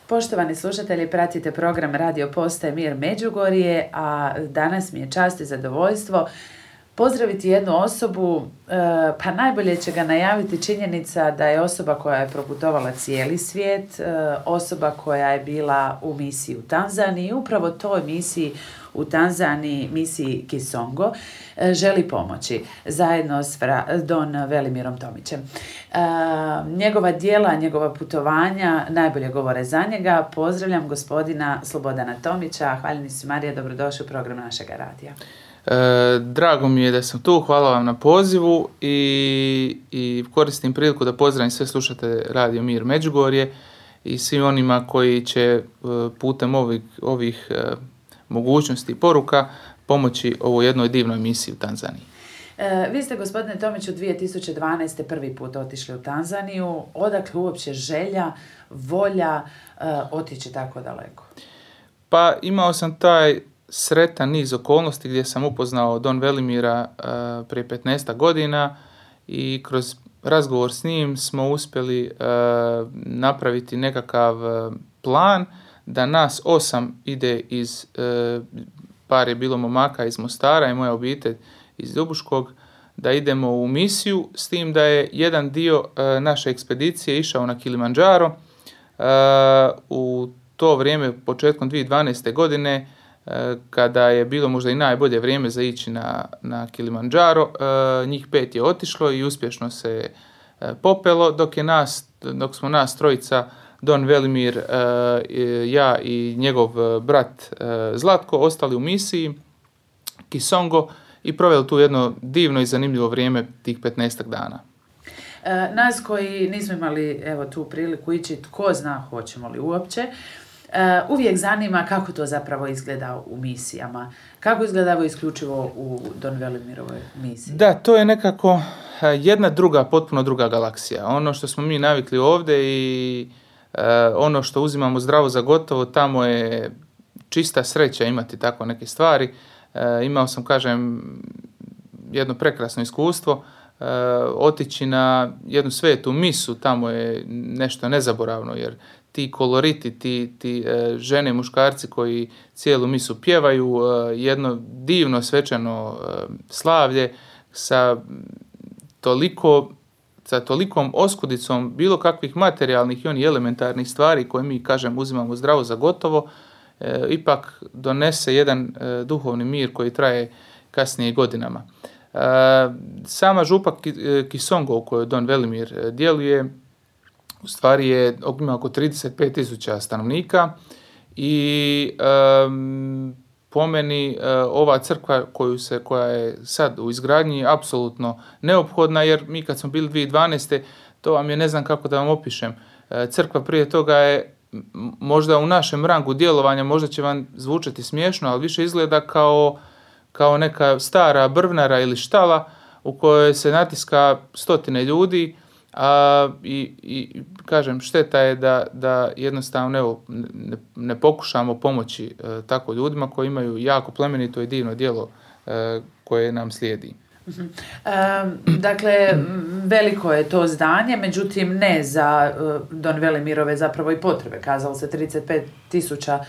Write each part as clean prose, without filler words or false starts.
Poštovani slušatelji, pratite program Radio Postaje Mir Međugorje, a danas mi je čast i zadovoljstvo pozdraviti jednu osobu, pa najbolje će ga najaviti činjenica da je osoba koja je proputovala cijeli svijet, osoba koja je bila u misiji u Tanzaniji, upravo toj misiji u Tanzaniji, misiji Kisongo, želi pomoći zajedno s Don Velimirom Tomićem. Njegova djela, njegova putovanja najbolje govore za njega. Pozdravljam gospodina Slobodana Tomića. Hvaljenici Marija, dobrodošli u program našega radija. Drago mi je da sam tu, hvala vam na pozivu i koristim priliku da pozdravim sve slušatelje Radio Mir Međugorje i svim onima koji će putem ovih mogućnosti i poruka pomoći ovoj jednoj divnoj misiji u Tanzaniji. Vi ste, gospodine Tomiću, 2012. prvi put otišli u Tanzaniju. Odakle uopće želja, volja otići tako daleko? Pa imao sam taj sretan niz okolnosti gdje sam upoznao Don Velimira prije 15 godina i kroz razgovor s njim smo uspjeli napraviti nekakav plan da nas 8 ide iz, par je bilo momaka iz Mostara i moja obitelj iz Ljubuškog, da idemo u misiju, s tim da je jedan dio naše ekspedicije išao na Kilimandžaro. U to vrijeme, početkom 2012. godine, kada je bilo možda i najbolje vrijeme za ići na Kilimandžaro, njih 5 je otišlo i uspješno se popelo, dok smo nas trojica, Don Velimir, ja i njegov brat Zlatko, ostali u misiji Kisongo i proveli tu jedno divno i zanimljivo vrijeme tih 15 dana. Nas koji nismo imali tu priliku ići, tko zna hoćemo li uopće, uvijek zanima kako to zapravo izgleda u misijama. Kako izgleda isključivo u Don Velimirovoj misiji? Da, to je nekako jedna potpuno druga galaksija. Ono što smo mi navikli ovdje i ono što uzimamo zdravo za gotovo, tamo je čista sreća imati tako neke stvari. Imao sam, jedno prekrasno iskustvo. Otići na jednu svetu misu, tamo je nešto nezaboravno, jer ti koloriti, ti žene i muškarci koji cijelu misu pjevaju, jedno divno svečano slavlje sa tolikom oskudicom bilo kakvih materijalnih i onih elementarnih stvari koje mi, uzimamo zdravo za gotovo, ipak donese jedan duhovni mir koji traje kasnije godinama. Sama župa Kisongo u kojoj Don Velimir djeluje u stvari ima oko 35.000 stanovnika i po meni ova crkva koja je sad u izgradnji je apsolutno neophodna, jer mi kad smo bili 2012. to vam je, ne znam kako da vam opišem, crkva prije toga je možda u našem rangu djelovanja, možda će vam zvučati smiješno, ali više izgleda kao neka stara brvnara ili štala u kojoj se natiska stotine ljudi, i šteta je da jednostavno ne pokušamo pomoći tako ljudima koji imaju jako plemenito i divno djelo koje nam slijedi. Dakle, veliko je to zdanje, međutim ne za Don Velimirove zapravo i potrebe. Kazalo se 35.000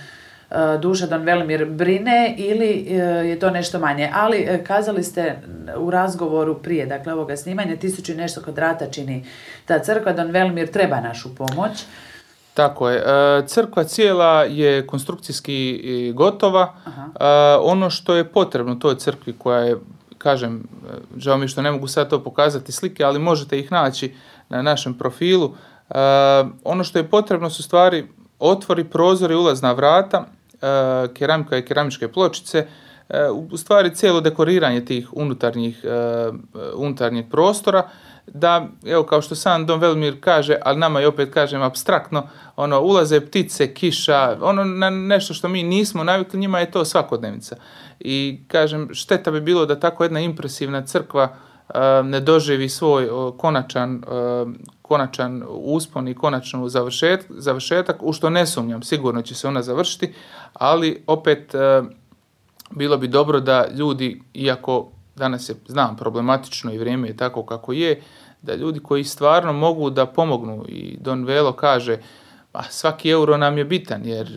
duša Don Velimir brine, ili je to nešto manje. Ali kazali ste u razgovoru prije, dakle ovoga snimanja, 1000 i nešto kvadrata čini ta crkva. Don Velimir treba našu pomoć. Tako je. Crkva cijela je konstrukcijski gotova. Ono što je potrebno toj crkvi, koja je, žao mi što ne mogu sad to pokazati slike, ali možete ih naći na našem profilu. Ono što je potrebno su stvari otvori, prozori, ulazna vrata, keramika i keramičke pločice, u stvari cijelo dekoriranje tih unutarnjeg prostora, da, evo, kao što sam Don Velimir kaže, ali nama je, opet apstraktno, ulaze ptice, kiša, na nešto što mi nismo navikli, njima je to svakodnevnica. I šteta bi bilo da tako jedna impresivna crkva ne doživi svoj konačan uspon i konačnu završetak, u što ne sumnjam, sigurno će se ona završiti, ali opet bilo bi dobro da ljudi, iako danas je, znam, problematično i vrijeme je tako kako je, da ljudi koji stvarno mogu da pomognu, i Don Velo kaže, svaki euro nam je bitan jer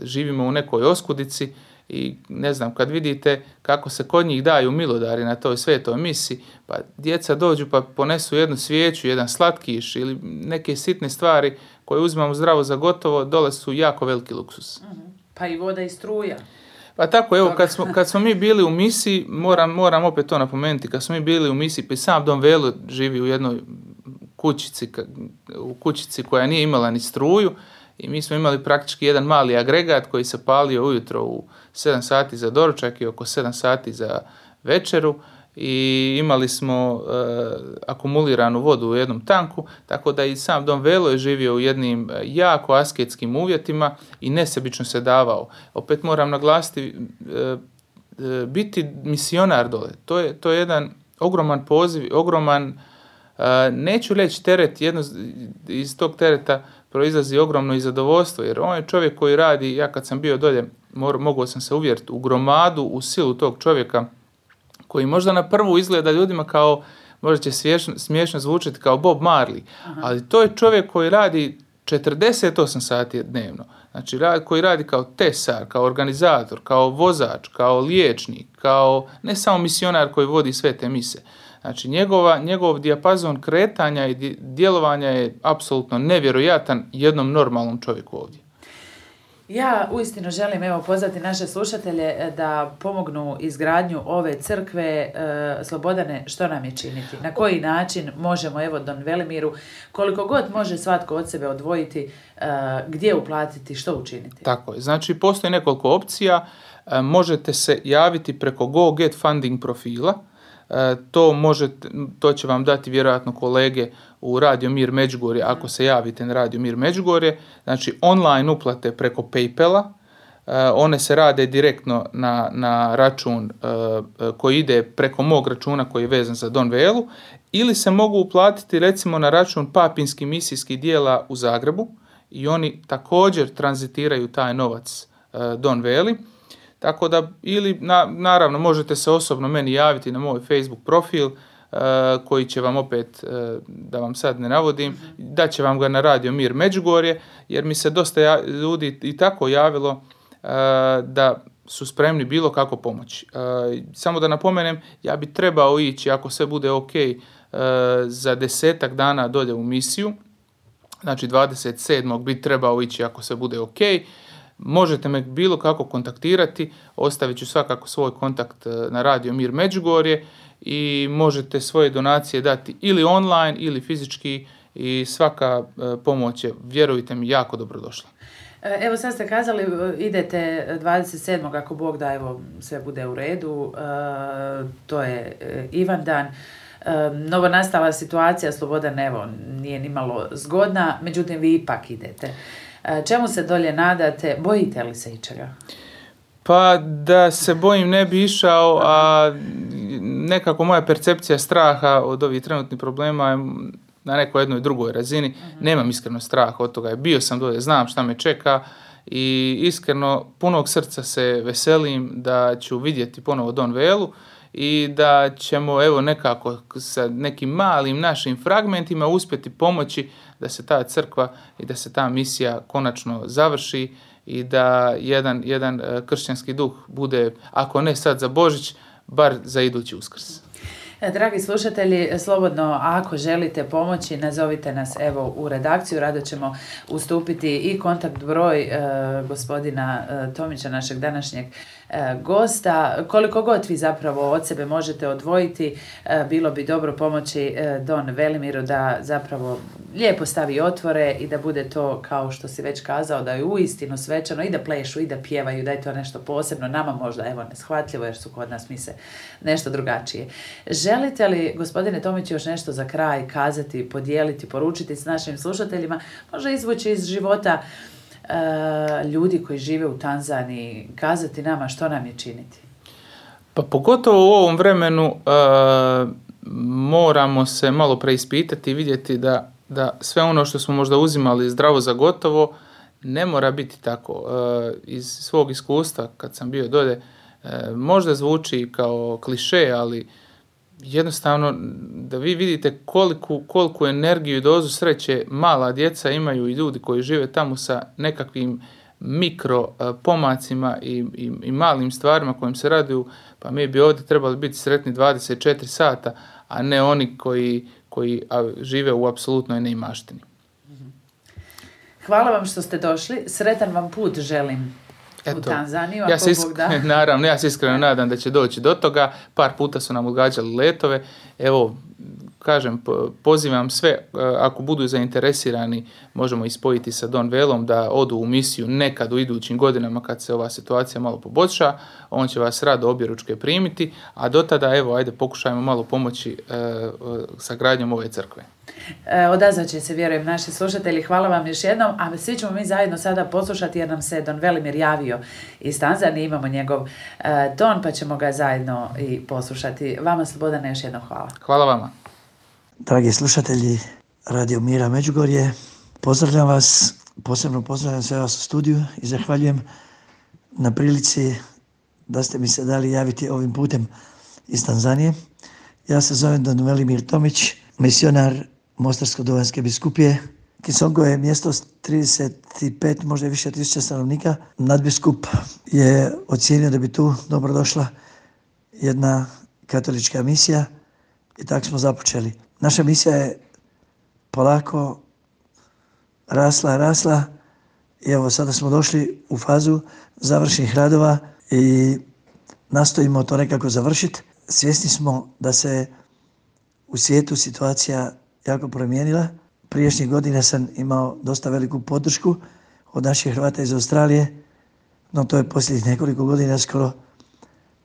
živimo u nekoj oskudici i ne znam, kad vidite kako se kod njih daju milodari na toj svetoj misi, pa djeca dođu pa ponesu jednu svijeću, jedan slatkiš ili neke sitne stvari koje uzimamo zdravo za gotovo, dole su jako veliki luksus. Pa i voda i struja. Pa tako, evo, kad smo mi bili u misiji, moram opet to napomenuti, kad smo mi bili u misiji, pa i sam Don Velo živi u jednoj kućici koja nije imala ni struju i mi smo imali praktički jedan mali agregat koji se palio ujutro u 7 sati za doručak i oko 7 sati za večeru i imali smo akumuliranu vodu u jednom tanku, tako da i sam Don Velo je živio u jednim jako asketskim uvjetima i nesebično se davao. Opet moram naglasiti, biti misionar dole, to je jedan ogroman poziv, ogroman, neću reći teret, iz tog tereta proizlazi ogromno i zadovoljstvo, jer on je čovjek koji radi, ja kad sam bio dolje, mogao sam se uvjeriti u gromadu, u silu tog čovjeka, koji možda na prvu izgleda ljudima kao, možda će smiješno zvučati kao Bob Marley, ali to je čovjek koji radi 48 sati dnevno. Znači, koji radi kao tesar, kao organizator, kao vozač, kao liječnik, kao ne samo misionar koji vodi sve te mise. Znači, njegov dijapazon kretanja i djelovanja je apsolutno nevjerojatan jednom normalnom čovjeku ovdje. Ja uistinu želim pozvati naše slušatelje da pomognu izgradnju ove crkve. Slobodane, što nam je činiti? Na koji način možemo Don Velimiru, koliko god može svatko od sebe odvojiti, gdje uplatiti, što učiniti? Tako je. Znači, postoji nekoliko opcija. Možete se javiti preko Go Get Funding profila. To će vam dati vjerojatno kolege u Radio Mir Međugorje ako se javite na Radio Mir Međugorje. Znači online uplate preko PayPala, one se rade direktno na račun koji ide preko mog računa koji je vezan za Don Velu, ili se mogu uplatiti recimo na račun Papinskih misijskih dijela u Zagrebu i oni također tranzitiraju taj novac Don Veli. Tako da, ili naravno možete se osobno meni javiti na moj Facebook profil koji će vam opet, da vam sad ne navodim, dat će vam ga na Radio Mir Međugorje, jer mi se dosta ljudi i tako javilo da su spremni bilo kako pomoći. Samo da napomenem, ja bi trebao ići, ako sve bude ok, za 10 dana dolje u misiju, znači 27. bi trebao ići ako sve bude ok. Možete me bilo kako kontaktirati, ostavit ću svakako svoj kontakt na Radio Mir Međugorje i možete svoje donacije dati ili online ili fizički i svaka pomoć je, vjerujte mi, jako dobrodošla. Evo sad ste kazali, idete 27. ako Bog da, sve bude u redu, to je Ivandan. Novonastala situacija, Slobodan, nije nimalo zgodna, međutim vi ipak idete. Čemu se dolje nadate? Bojite li se ičega? Pa da se bojim ne bi išao, a nekako moja percepcija straha od ovih trenutnih problema je na nekoj jednoj drugoj razini. Nemam iskreno straha od toga. Bio sam dolje, znam šta me čeka i iskreno punog srca se veselim da ću vidjeti ponovo Don Velu i da ćemo nekako sa nekim malim našim fragmentima uspjeti pomoći da se ta crkva i da se ta misija konačno završi i da jedan kršćanski duh bude, ako ne sad za Božić, bar za idući Uskrs. Dragi slušatelji, slobodno ako želite pomoći, nazovite nas u redakciju, rado ćemo ustupiti i kontakt broj gospodina Tomića, našeg današnjeg gosta. Koliko god vi zapravo od sebe možete odvojiti, bilo bi dobro pomoći Don Velimiru da zapravo lijepo stavi otvore i da bude to, kao što si već kazao, da je uistinu svečano i da plešu i da pjevaju, da je to nešto posebno, nama možda neshvatljivo jer su kod nas mise nešto drugačije. Želite li, gospodine Tomić, još nešto za kraj kazati, podijeliti, poručiti s našim slušateljima, možda izvući iz života ljudi koji žive u Tanzaniji, kazati nama što nam je činiti? Pa pogotovo u ovom vremenu moramo se malo preispitati i vidjeti da sve ono što smo možda uzimali zdravo za gotovo ne mora biti tako. Iz svog iskustva kad sam bio dolje, možda zvuči kao kliše, ali jednostavno da vi vidite koliku energiju i dozu sreće mala djeca imaju i ljudi koji žive tamo sa nekakvim mikro pomacima i malim stvarima kojim se raduju, pa mi bi ovdje trebali biti sretni 24 sata, a ne oni koji žive u apsolutnoj neimaštini. Hvala vam što ste došli. Sretan vam put želim u Tanzaniju. Naravno, ja se iskreno nadam da će doći do toga. Par puta su nam odgađali letove. Evo, kažem, pozivam sve, ako budu zainteresirani, možemo ispojiti sa Don Velom da odu u misiju nekad u idućim godinama kad se ova situacija malo poboljša. On će vas rado objeručke primiti, a do tada, evo, ajde pokušajmo malo pomoći sa gradnjom ove crkve. Odazvat će se, vjerujem, naši slušatelji. Hvala vam još jednom, a svi ćemo mi zajedno sada poslušati jer nam se Don Velimir javio iz Tanzanije, imamo njegov ton, pa ćemo ga zajedno i poslušati. Vama, Slobodane, još jednom hvala. Hvala vama. Dragi slušatelji Radio Mira Međugorje, pozdravljam vas, posebno pozdravljam sve vas u studiju i zahvaljujem na prilici da ste mi se dali javiti ovim putem iz Tanzanije. Ja se zovem Don Velimir Tomić, misionar Mostarsko-Duvanjske biskupije. Kisongo je mjesto s 35, možda i više tisuća stanovnika. Nadbiskup je ocijenio da bi tu dobro došla jedna katolička misija i tako smo započeli. Naša misija je polako rasla i evo sada smo došli u fazu završnih radova i nastojimo to nekako završiti. Svjesni smo da se u svijetu situacija jako promijenila. Prijašnjih godina sam imao dosta veliku podršku od naših Hrvata iz Australije, no to je posljednjih nekoliko godina skoro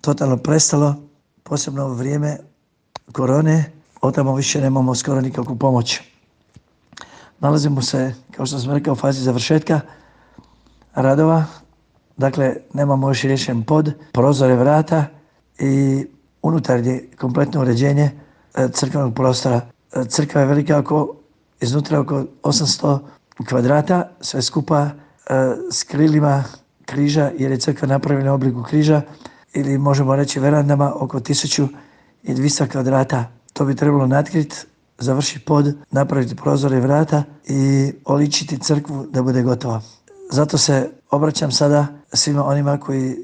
totalno prestalo, posebno u vrijeme korone, od tamo više nemamo skoro nikakvu pomoć. Nalazimo se, kao što sam rekao, u fazi završetka radova, dakle nemamo još riješen pod, prozore, vrata i unutarnje kompletno uređenje crkvenog prostora. Crkva je velika iznutra oko 800 kvadrata, sve skupa s krilima križa, jer je crkva napravljena u obliku križa, ili možemo reći verandama oko 1200 kvadrata. To bi trebalo natkriti, završiti pod, napraviti prozore i vrata i oličiti crkvu da bude gotova. Zato se obraćam sada svima onima koji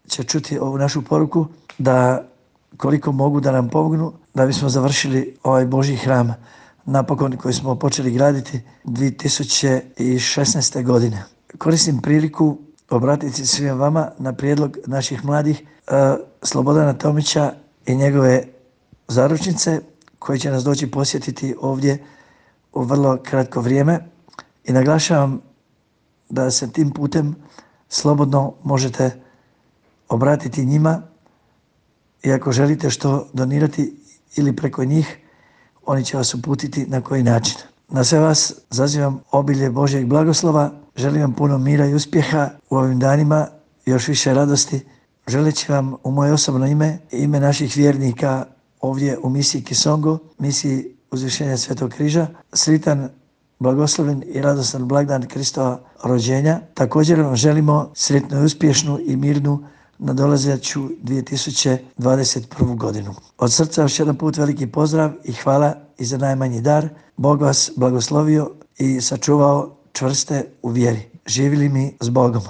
će čuti ovu našu poruku, da koliko mogu da nam pomognu da bismo završili ovaj Božji hram napokon koji smo počeli graditi 2016. godine. Koristim priliku obratiti svima vama na prijedlog naših mladih Slobodana Tomića i njegove zaručnice koji će nas doći posjetiti ovdje u vrlo kratko vrijeme i naglašavam da se tim putem slobodno možete obratiti njima i ako želite što donirati ili preko njih, oni će vas uputiti na koji način. Na sve vas zazivam obilje Božjeg blagoslova, želim vam puno mira i uspjeha u ovim danima, još više radosti. Želeći vam u moje osobno ime i ime naših vjernika ovdje u misiji Kisongo, misiji Uzvišenja Svetog križa, sritan, blagosloven i radostan blagdan Kristova rođenja. Također vam želimo sretnu i uspješnu i mirnu nadolazeću 2021. godinu. Od srca još jedan put veliki pozdrav i hvala i za najmanji dar. Bog vas blagoslovio i sačuvao čvrste u vjeri. Živjeli mi s Bogom.